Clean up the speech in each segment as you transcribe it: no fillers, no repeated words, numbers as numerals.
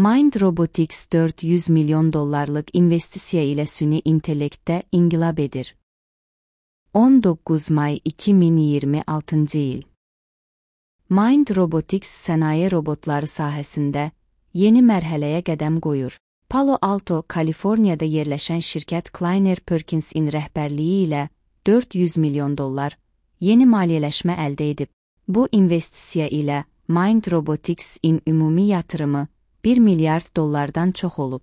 Mind Robotics $400 milyon investisiya ilə süni intellektdə inqilab edir. 19 may 2026 il. Mind Robotics sənaye robotları sahəsində yeni mərhələyə qədəm qoyur. Palo Alto, Kaliforniyada yerləşən şirkət Kleiner Perkins'in rəhbərliyi ilə $400 milyon yeni maliyyələşmə əldə edib. Bu investisiya ilə Mind Robotics'in ümumi yatırımı $1 milyard çox olub.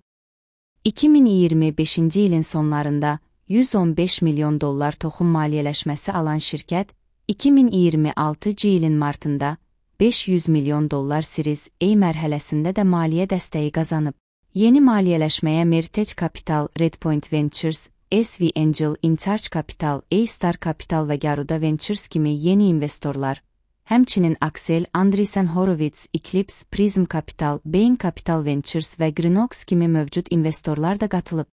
2025-ci ilin sonlarında $115 milyon toxum maliyyələşməsi alan şirkət, 2026-cı ilin martında $500 milyon Series A mərhələsində də maliyyə dəstəyi qazanıb. Yeni maliyyələşməyə Mertech Capital, Redpoint Ventures, SV Angel, InCharge Capital, A-Star Capital və Garuda Ventures kimi yeni investorlar, həmçinin Axel, Andreessen Horowitz, Eclipse, Prism Capital, Bain Capital Ventures və Greenox kimi mövcud investorlar da qatılıb.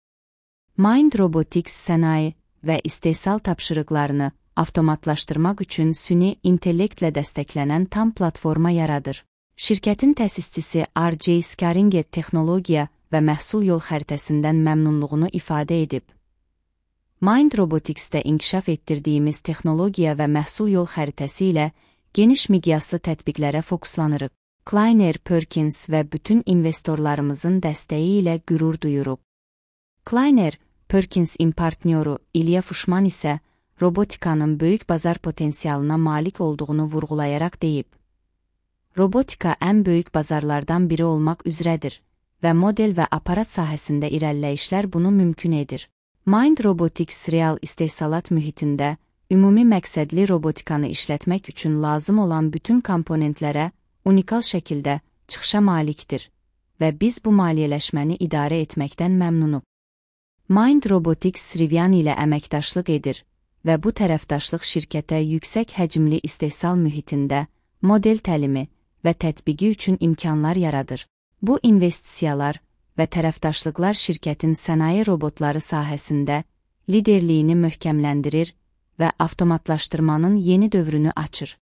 Mind Robotics sənaye və istehsal tapşırıqlarını avtomatlaşdırmaq üçün süni intellektlə dəstəklənən tam platforma yaradır. Şirkətin təsisçisi R.J. Scaringet texnologiya və məhsul yol xəritəsindən məmnunluğunu ifadə edib. Mind Robotics'də inkişaf etdirdiyimiz texnologiya və məhsul yol xəritəsi ilə geniş miqyaslı tətbiqlərə fokuslanırıq. Kleiner Perkins və bütün investorlarımızın dəstəyi ilə qürur duyuruq. Kleiner Perkins'in partnyoru İlya Fuşman isə robotikanın böyük bazar potensialına malik olduğunu vurğulayaraq deyib. Robotika ən böyük bazarlardan biri olmaq üzrədir və model və aparat sahəsində irəliləyişlər bunu mümkün edir. Mind Robotics real istehsalat mühitində ümumi məqsədli robotikanı işlətmək üçün lazım olan bütün komponentlərə unikal şəkildə çıxışa malikdir və biz bu maliyyələşməni idarə etməkdən məmnunuq. Mind Robotics Rivian ilə əməkdaşlıq edir və bu tərəfdaşlıq şirkətə yüksək həcmli istehsal mühitində model təlimi və tətbiqi üçün imkanlar yaradır. Bu investisiyalar və tərəfdaşlıqlar şirkətin sənaye robotları sahəsində liderliyini möhkəmləndirir və avtomatlaşdırmanın yeni dövrünü açır.